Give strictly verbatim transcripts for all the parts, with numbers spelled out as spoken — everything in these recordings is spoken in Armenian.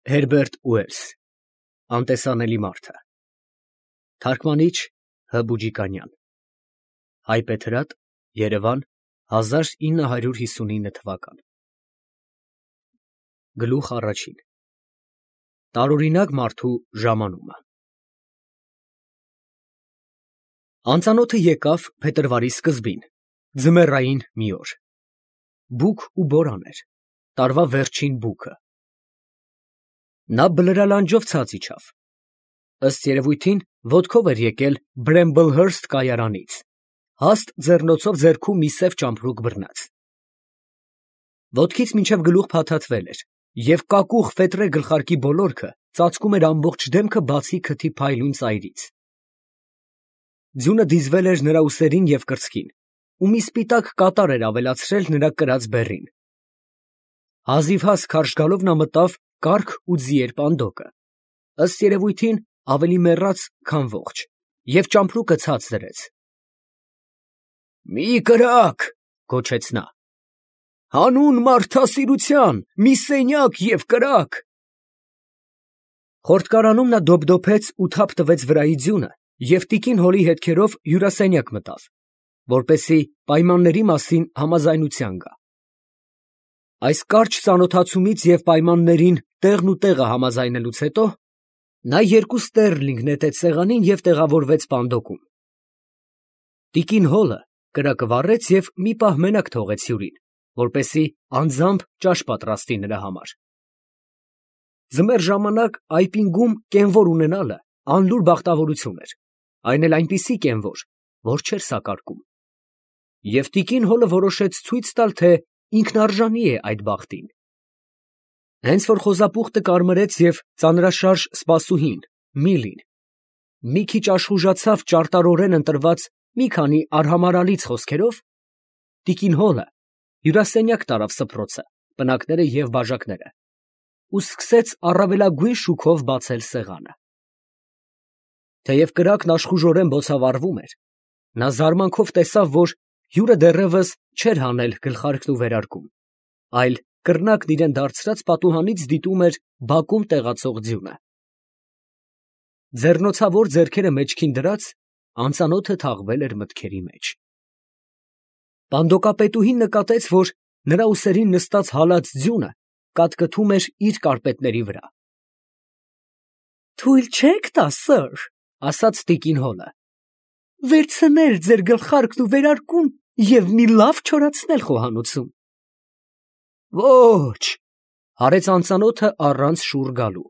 Հերբերտ Ուելս Անտեսանելի մարդը Թարգմանիչ Հ. Բուջիկանյան Հայբեթրատ Երևան հազար ինը հարյուր հիսունինը թվական Գլուխ առաջին Տարօրինակ մարդու ժամանումը Անծանոթը եկավ փետրվարի սկզբին, ձմեռային մի օր, բուք ու բորան էր, տարվա վերջին բուքը։ Նա բլրալանջով ցած իջավ, ըստ երևույթին ոտքով էր եկել Բրեմբլհըրսթ կայարանից, հաստ ձեռնոցով ձեռքում մի սև ճամպրուկ բռնած։ Ոտքից մինչև գլուխ փաթաթվել էր, և կակուղ ֆետրե գլխարկի բոլորքը ծածկում էր ամբողջ դեմքը բացի քթի փայլուն ծայրից։ Ձյունը դիզվել էր նրա ուսերին և կրծքին, ու մի սպիտակ կատար էր ավելացրել նրա կրած բեռին։ Հազիվհազ քարշ գալով նա մտավ կառք ու ձիեր պանդոկը, ըստ երևույթին ավելի մեռած, քան ողջ, և ճամպրուկը ցած դրեց։ ֊ Մի կրակ, ֊ գոչեց նա, ֊ հանուն մարդասիրության, մի սենյակ և կրակ։ Խորտկարանում նա դոփդոփեց ու թափ տվեց վրայի ձյունը և տիկին Հոլի հետքերով հյուրասենյակ մտավ, որպեսզի պայմանների մասին համաձայնության գա։ Այս կարճ ծանոթացումից և պայմաններին տեղն ու տեղը համաձայնելուց հետո նա երկու ստեռլինգ նետեց սեղանին և տեղավորվեց պանդոկում։ Տիկին Հոլը կրակը վառեց և մի պահ մենակ թողեց հյուրին, որպեսզի անձամբ ճաշ պատրաստի նրա համար։ Ձմեռ ժամանակ այպինգում կենվոր ունենալը անլուր բախտավորություն էր, այն էլ այնպիսի կենվոր, որ չէր սակարկում։ Եվ տիկին Հոլը որոշեց ցույց տալ, թե ինքնարժանի է այդ բախտին։ Հենց որ խոզապուխտը կարմրեց և ծանրաշարժ սպասուհին Միլին մի քիչ աշխուժացավ ճարտարորեն ընտրված մի քանի արհամարհալից խոսքերով, տիկին Հոլը հյուրասենյակ տարավ սփռոցը, պնակները և բաժակները ու սկսեց առավելագույն շուքով բացել սեղանը։ Թեև կրակն աշխուժորեն բոցավառվում էր, նա զարմանքով տեսավ, որ հյուրը դեռևս չէր հանել գլխարկն ու վերարկուն, այլ կռնակն իրան դարձրած պատուհանից դիտում էր բակում տեղացող ձյունը։ Ձեռնոցավոր ձեռքերը մեջքին դրած, անծանոթը թաղվել էր մտքերի մեջ։ Պանդոկապետուհին նկատեց, որ նրա ուսերին նստած հալած ձյունը կատկթում էր իր կարպետների վրա։ ֊ Թույլ չե՞ք տա, սըր, ֊ ասաց տիկին Հոլը, ֊ վերցնել ձեր գլխարկն ու վերարկուն և մի լավ չորացնել խոհանոցում։ ֊ Ո՛չ, ֊ հարեց անծանոթը առանց շուռ գալու։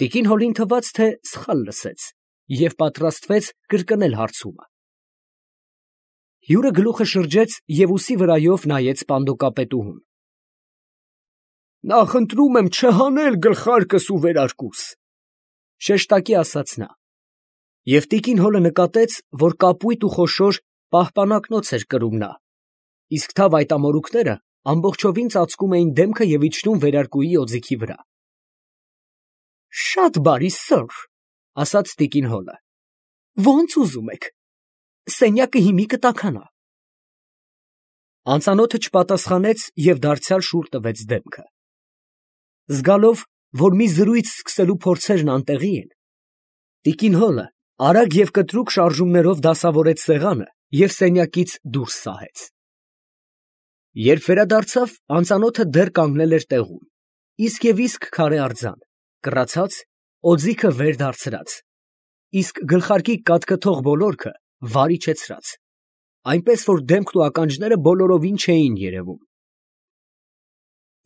Տիկին Հոլին թվաց, թե սխալ լսեց, և պատրաստվեց կրկնել հարցումը։ Հյուրը գլուխը շրջեց և ուսի վրայով նայեց պանդոկապետուհուն։ ֊ Նախընտրում եմ չհանել գլխարկս ու վերարկուս, ֊ շեշտակի ասաց նա, և տիկին Հոլը նկատեց, որ կապույտ ու խոշոր պահպանակնոց էր կրում նա, իսկ թավ այդ ամորուքները ամբողջովին ծածկում էին դեմքը և իջնում վերարկուի օձիքի վրա։ ֊ Շատ բարի, սըր, ֊ ասաց տիկին Հոլը, ֊ ոնց ուզում եք, սենյակը հիմի կտաքանա։ Անծանոթը չպատասխանեց և դարձյալ շուռ տվեց դեմքը։ Զգալով, որ մի զրույց սկսելու փորձերն անտեղի են, տիկին Հոլը արագ և կտրուկ շարժումներով դասավորեց սեղանը և սենյակից դուրս սահեց։ Երբ վերադարձավ, անծանոթը դեռ կանգնել էր տեղում, իսկ և իսկ քարե արձան, կռացած, օձիքը վեր դարձրած, իսկ գլխարկի կատկթող բոլորքը վար իջեցրած, այնպես որ դեմքն ու ականջները բոլորովին չէին երևում։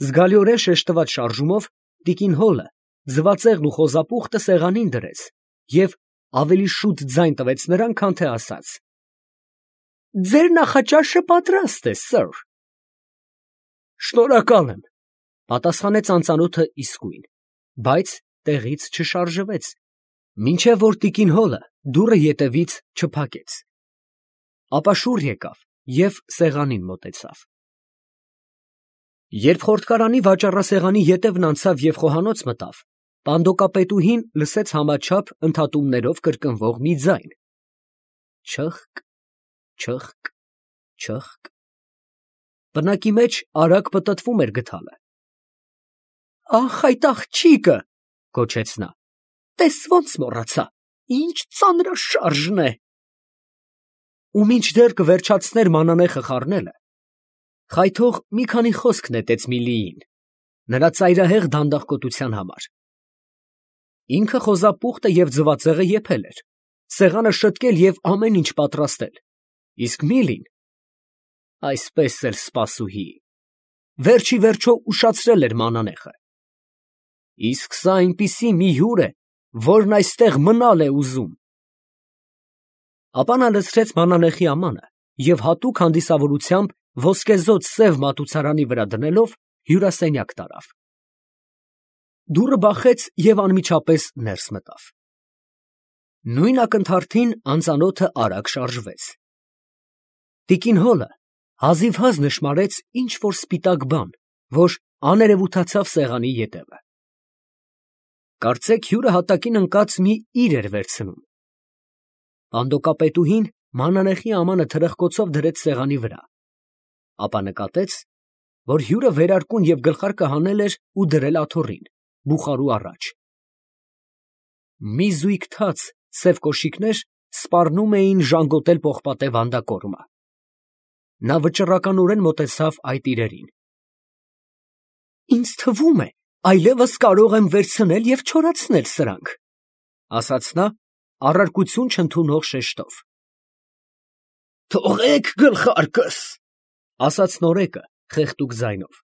Զգալիորեն շեշտված շարժումով տիկին Հոլը ձվածեղն ու խոզապուխտը սեղանին դրեց և ավելի շուտ ձայն տվեց նրան, քան թե ասաց. ֊ Ձեր նախաճաշը պատրաստ է, սըր։ ֊ Շնորհակալ եմ, ֊ պատասխանեց անծանոթը իսկույն, բայց տեղից չշարժվեց, մինչև որ տիկին Հոլը դուռը ետևից չփակեց, ապա շուռ եկավ և սեղանին մոտեցավ։ Երբ խորտկարանի վաճառասեղանի ետևն անցավ և խոհանոց մտավ, պանդոկապետուհին լսեց համաչափ ընդհատումներով կրկնվող մի ձայն. չըխկ, չըխկ, չըխկ. պնակի մեջ արագ պտտվում էր գդալը։ Ախ, այդ աղջիկը, գոչեց նա, տես ոնց մոռացա, ինչ ծանրաշարժն է։ Ու մինչդեռ կվերջացներ մանանեխը խառնելը, խայթող մի քանի խոսք նետեց Միլիին, նրա ծայրահեղ դանդաղկոտության համար։ Ինքը խոզապուխտը և ձվածեղը եփել էր, սեղանը շտկել և ամեն ինչ պատրաստել, իսկ Միլին այսպես էլ սպասուհի, վերջի վերջո ուշացրել էր մանանեխը։ Իսկ սա այնպիսի մի հյուր է, որն այստեղ մնալ է ուզում։ Ապա նա լցրեց մանանեխի ամանը և հատուկ հանդիսավորությամբ ոսկեզօծ սև մատուցարանի վրա դնելով հյուրասենյակ տարավ։ Դուռը բախեց և անմիջապես ներս մտավ։ Նույն ակնթարթին անծանոթը արագ շարժվեց։ Տիկին Հոլը հազիվհազ նշմարեց ինչ֊որ սպիտակ բան, որ աներևութացավ սեղանի ետևը։ Կարծեք հյուրը հատակին ընկած մի իր էր վերցնում։ Պանդոկապետուհին մանանեխի ամանը թրխկոցով դրեց սեղանի վրա, ապա նկատեց, որ հյուրը վերարկուն և գլխարկը հանել էր ու դրել աթոռին, բուխարու առաջ։ Մի զույգ թաց սև կոշիկներ սպառնում էին ժանգոտել պողպատե վանդակոռմը։ Նա վճռականորեն մոտեցավ այդ իրերին։ Ինձ թվում է, այլևս կարող եմ վերցնել և չորացնել սրանք, ասաց նա առարկություն չընդունող շեշտով։ Թողեք գլխարկս, ասաց նորեկը խեղդուկ ձայնով։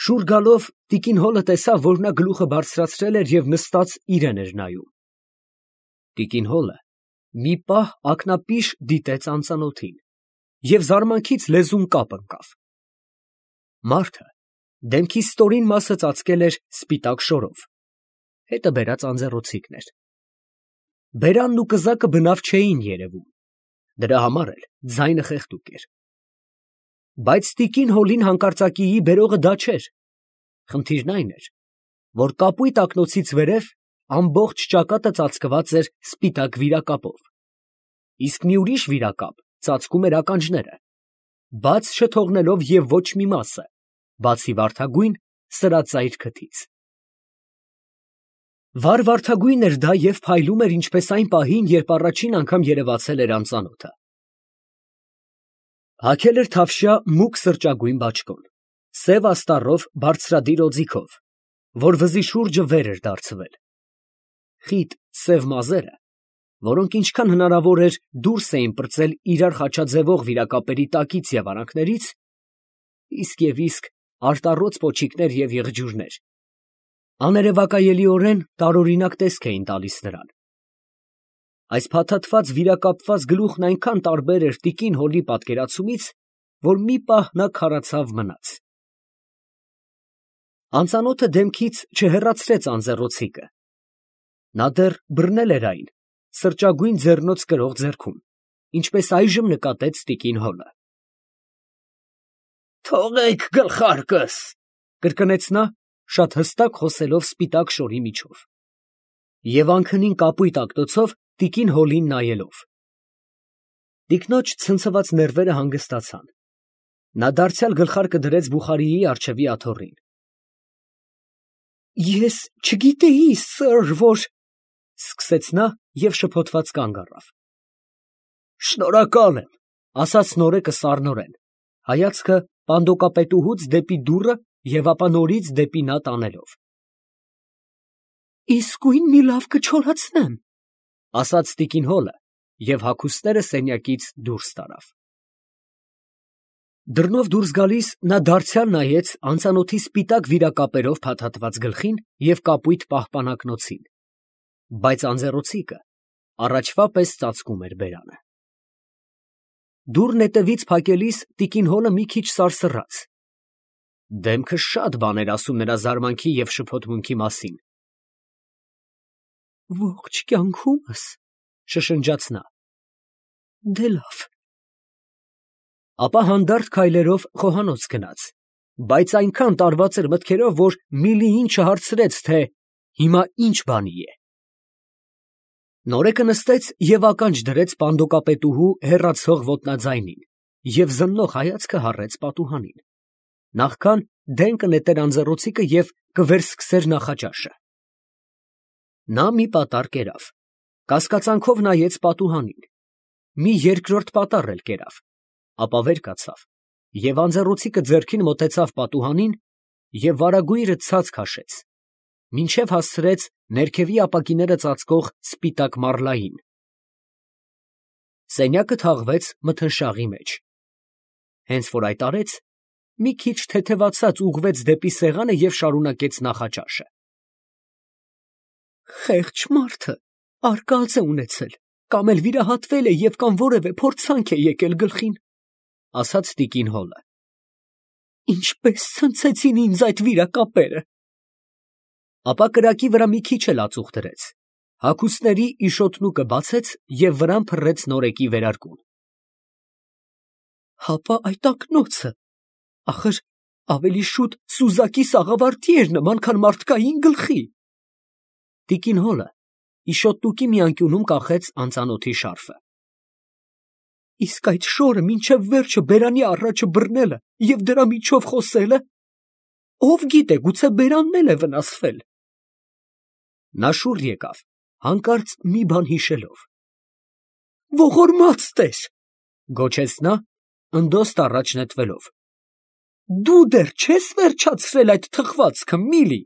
Շուռ գալով տիկին Հոլը տեսավ, որ նա գլուխը բարձրացրել էր և նստած իրեն էր նայում։ Տիկին Հոլը մի պահ ակնապիշ դիտեց անծանոթին և զարմանքից լեզուն կապ ընկավ։ Մարդը դեմքի ստորին մասը ծածկել էր սպիտակ շորով, հետը բերած անձեռոցիկներ։ Բերանն ու կզակը բնավ չէին երևում, դրա համար էլ ձայնը խեղդուկ էր։ Բայց տիկին Հոլին հանկարծակիի բերողը դա չէր, խնդիրն այն էր, որ կապույտ ակնոցից վերև ամբողջ ճակատը ծածկված էր սպիտակ վիրակապով, իսկ մի ուրիշ վիրակապ ծածկում էր ականջները, բաց չթողնելով և ոչ մի մասը, բացի վարդագույն սրածայր քթից։ Վառ֊վարդագույն էր դա և փայլում էր ինչպես այն պահին, երբ առաջին անգամ երևացել էր անծանոթը։ Հագել էր թավշյա մուգ սրճագույն բաճկոն, սև աստառով բարձրադիր օձիքով, որ վզի շուրջը վեր էր դարձվել։ Խիտ սև մազերը, որոնք ինչքան հնարավոր էր դուրս էին պրծել իրար խաչաձևող վիրակապերի տակից և արանքներից, իսկ և իսկ արտառոց պոչիկներ և եղջյուրներ, աներևակայելիորեն տարօրինակ տեսք էին տալիս նրան։ Այս փաթաթված վիրակապված գլուխն այնքան տարբեր էր տիկին Հոլի պատկերացումից, որ մի պահ նա քարացավ մնաց։ Անծանոթը դեմքից չհեռացրեց անձեռոցիկը։ Նա դեռ բռնել էր այն սրճագույն ձեռնոց կրող ձեռքում, ինչպես այժմ նկատեց տիկին Հոլը։ Թողեք գլխարկս, կրկնեց նա, շատ հստակ խոսելով սպիտակ շորի միջով և անքնին կապույտ ակնոցով տիկին Հոլին նայելով։ Տիկնոջ ցնցված ներվերը հանգստացան։ Նա դարձյալ գլխարկը դրեց բուխարիի առջևի աթոռին։ Ես չգիտեի, սըր, որ… սկսեց նա և շփոթված կանգ առավ։ Շնորհակալ եմ, ասաց նորեկը սառնորեն, հայացքը պանդոկապետուհուց դեպի դուռը և ապա նորից դեպի նա տանելով։ Իսկույն մի լավ կչորացնեմ, ասաց տիկին Հոլը և հագուստները սենյակից դուրս տարավ։ Դռնով դուրս գալիս նա դարձյալ նայեց անծանոթի սպիտակ վիրակապերով փաթաթված գլխին և կապույտ պահպանակնոցին, բայց անձեռոցիկը առաջվա պես ծածկում էր բերանը։ Դուռն հետևից փակելիս տիկին Հոլը մի քիչ սարսռաց։ Դեմքը շատ բան էր ասում նրա զարմանքի և շփոթմունքի մասին։ Ողջ կյանքումս, շշնջաց նա, դե լավ։ Ապա հանդարտ քայլերով խոհանոց գնաց, բայց այնքան տարված էր մտքերով, որ Միլիին չհարցրեց, թե հիմա ինչ բանի է։ Նորեկը նստեց և ականջ դրեց պանդոկապետուհու հեռացող ոտնաձայնին և զննող հայացքը հառեց պատուհանին, նախքան դեն կնետեր անձեռոցիկը և կվերսկսեր նախաճաշը։ Նա մի պատառ կերավ, կասկածանքով նայեց պատուհանին, մի երկրորդ պատառ էլ կերավ, ապա վեր կացավ և անձեռոցիկը ձեռքին մոտեցավ պատուհանին և վարագույրը ցած քաշեց, մինչև հասցրեց ներքևի ապակիները ծածկող սպիտակ մառլային։ Սենյակը թաղվեց մթնշաղի մեջ։ Հենց որ այդ արեց, մի քիչ թեթևացած ուղղվեց դեպի սեղանը և շարունակեց նախաճաշը։ Խեղճ մարդը արկած է ունեցել, կամ էլ վիրահատվել է և կամ որևէ փորձանք է եկել գլխին, ֊ ասաց տիկին Հոլը։ Ինչպես ցնցեցին ինձ այդ վիրակապերը։ Ապա կրակի վրա մի քիչ էլ ածուխ դրեց, հագուստների իշոտնուկը բացեց և վրան փռեց նորեկի վերարկուն։ Հապա այդ ակնոցը, ախր ավելի շուտ սուզակի սաղավարտի էր նման, քան մարդկային գլխի։ Տիկին Հոլը իշոտնուկի մի անկյունում կախեց անծանոթի շարֆը։ Իսկ այդ շորը մինչև վերջը բերանի առաջը բռնելը և դրա միջով խոսելը, ով գիտե, գուցե բերանն էլ է վնասվել։ Նա շուռ եկավ, հանկարծ մի բան հիշելով։ Ողորմած տեր, ֊ գոչեց նա, ընդոստ առաջ նետվելով, դու դեռ չե՞ս վերջացրել այդ թխվածքը, Միլի։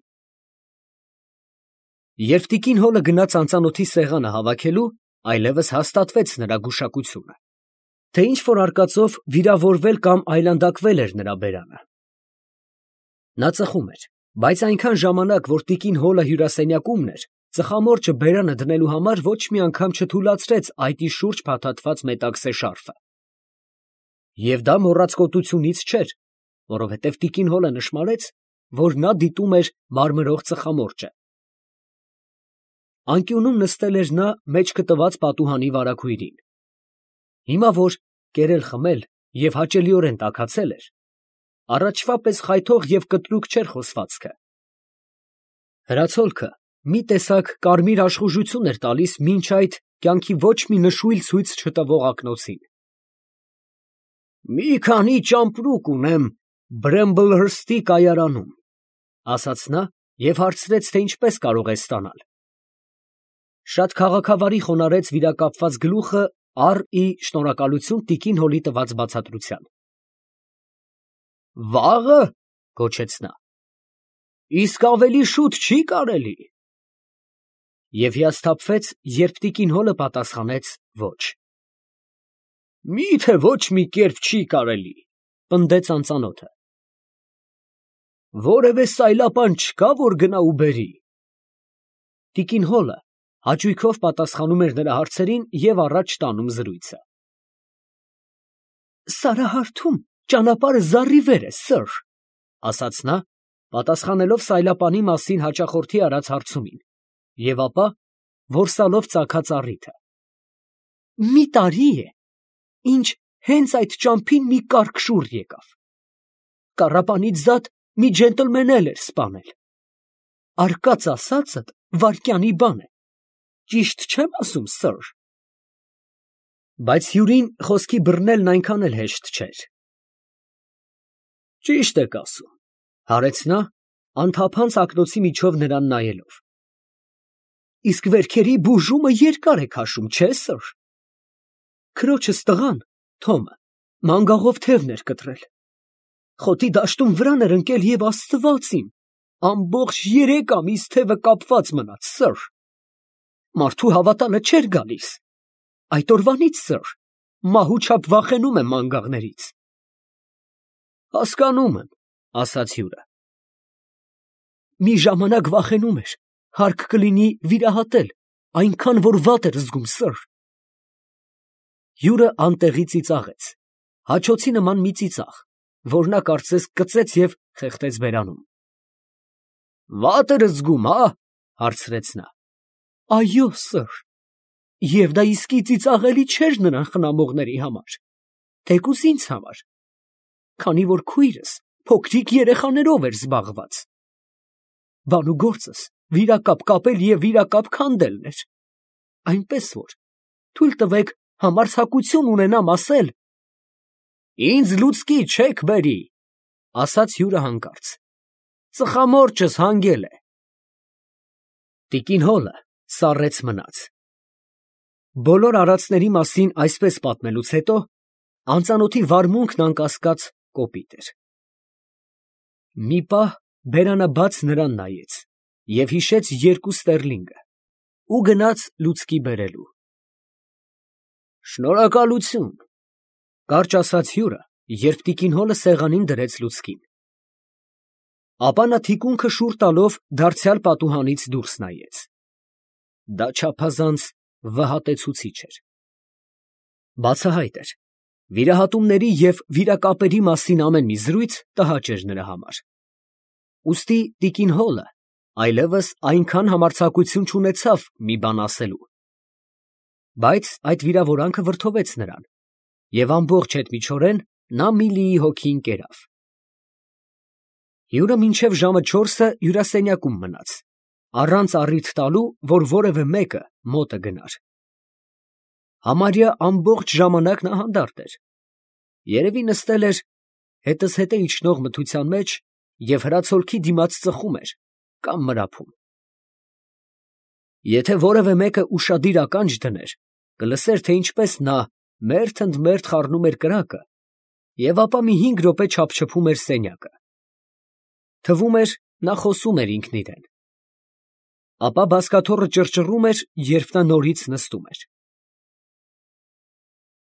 Երբ տիկին Հոլը գնաց անծանոթի սեղանը հավաքելու, այլևս հաստատվեց նրա գուշակությունը, թե ինչ֊որ արկածով վիրավորվել կամ այլանդակվել էր նրա բերանը։ Նա ծխում էր, բայց այնքան ժամանակ, որ տիկին Հոլը հյուրասենյակումն էր, ծխամորճը բերանը դնելու համար ոչ մի անգամ չթուլացրեց այտի շուրջ փաթաթված մետաքսե շարֆը։ Եվ դա մոռացկոտությունից չէր, որովհետև տիկին Հոլը նշմարեց, որ նա դիտում էր մարմրող ծխամորճը։ Անկյունում նստել էր նա մեջքը տված պատուհանի վարագույրին։ Հիմա որ կերել խմել և հաճելիորեն տաքացել էր, առաջվա պես խայթող և կտրուկ չէր խոսվածքը։ Հրացոլքը մի տեսակ կարմիր աշխուժություն էր տալիս մինչ այդ կյանքի ոչ մի նշույլ ցույց չտվող ակնոցին։ Մի քանի ճամպրուկ ունեմ Բրեմբլհըրսթի կայարանում, ֊ ասաց նա և հարցրեց, թե ինչպես կարող է ստանալ։ Շատ քաղաքավարի խոնարհեց վիրակապված գլուխը առ ի շնորհակալություն տիկին Հոլի տված բացատրության։ Վաղը, ֊ գոչեց նա, ֊ իսկ ավելի շուտ չի կարելի։ Եվ հիասթափվեց, երբ տիկին Հոլը պատասխանեց ոչ։ Մի՞թե ոչ մի կերպ չի կարելի, ֊ պնդեց անծանոթը։ Որևէ սայլապան չկա, որ գնա ու բերի։ Տիկին Հոլը հաճույքով պատասխանում էր նրա հարցերին և առաջ տանում զրույցը։ Սարահարթում ճանապարհը զառիվեր է, սըր, ֊ ասաց նա, պատասխանելով սայլապանի մասին հաճախորդի արած հարցումին, և ապա որսալով ծագած առիթը։ Մի տարի է, ինչ հենց այդ ճամփին մի կարք շուռ եկավ։ Կառապանից զատ մի ջենտլմեն էլ էր սպանել։ Արկած ասածդ վայրկյանի բան է, ճիշտ չեմ ասում, սըր։ Բայց հյուրին խոսքի բռնելն այնքան էլ հեշտ չէր։ Ճիշտ եք ասում, ֊ հարեց նա, անթափանց ակնոցի միջով նրան նայելով։ Իսկ վերքերի բուժումը երկար է քաշում, չէ՞, սըր։ Քրոջս տղան, Թոմը, մանգաղով թևն էր կտրել։ Խոտի դաշտում վրան էր ընկել և Աստված իմ, ամբողջ երեք ամիս թևը կապված մնաց, սըր։ Մարդու հավատալը չէր գալիս։ Այդ օրվանից, սըր, մահու չափ վախենում եմ մանգաղներից։ Հասկանում եմ, ֊ ասաց հյուրը։ Մի ժամանակ վախենում էր, հարկ կլինի վիրահատել, այնքան որ վատ էր զգում, սըր։ Հյուրը անտեղի ծիծաղեց, հաչոցի նման մի ծիծաղ, որ նա կարծես կծեց և խեղդեց բերանում։ Վատ էր զգում, հա, ֊ հարցրեց նա։ Այո, սըր, և դա իսկի ծիծաղելի չէր նրան խնամողների համար, թեկուզ ինձ համար, քանի որ քույրս փոքրիկ երեխաներով էր զբաղված։ Բան ու գործս վիրակապ կապել և վիրակապ քանդելն էր, այնպես որ թույլ տվեք համարձակություն ունենամ ասել. Ինձ լուցկի չեք բերի, ասաց հյուրը հանկարծ. ծխամորճս հանգել է։ Տիկին Հոլը սառեց մնաց։ Բոլոր արածների մասին այսպես պատմելուց հետո անծանոթի վարմունքն անկասկած կոպիտ էր։ Մի պահ բերանը բաց նրան նայեց և հիշեց երկու ստերլինգը ու գնաց լուցկի բերելու։ Շնորհակալություն, կարճ ասաց հյուրը, երբ տիկին Հոլը սեղանին դրեց լուցկին։ Ապա նա թիկունքը շուռ տալով դարձյալ պատուհանից դուրս նայեց։ Դա չափազանց վհատեցուցիչ էր։ Բացահայտ էր, վիրահատումների և վիրակապերի մասին ամեն մի զրույց տհաճ էր նրա համար։ Ուստի տիկին Հոլը այլևս այնքան համարձակություն չունեցավ մի բան ասելու։ Բայց այդ վիրավորանքը վրդովեց նրան, և ամբողջ հետմիջորեն նա Միլիի հոգին կերավ։ Հյուրը մինչև ժամը չորսը հյուրասենյակում մնաց, առանց առիթ տալու, որ որևէ մեկը մոտը գնար։ Համարյա ամբողջ ժամանակ նա հանդարտ էր, երևի նստել էր հետզհետե իջնող մթության մեջ և հրացոլքի դիմաց ծխում էր կամ մրափում։ Եթե որևէ մեկը ուշադիր ականջ դներ, կլսեր, թե ինչպես նա մերթ ընդ մերթ խառնում էր կրակը և ապա մի հինգ րոպե չափչփում էր սենյակը։ Թվում էր, նա խոսում էր ինքն իրան։ Ապա բազկաթոռը ճռճռում էր, երբ նա նորից նստում էր։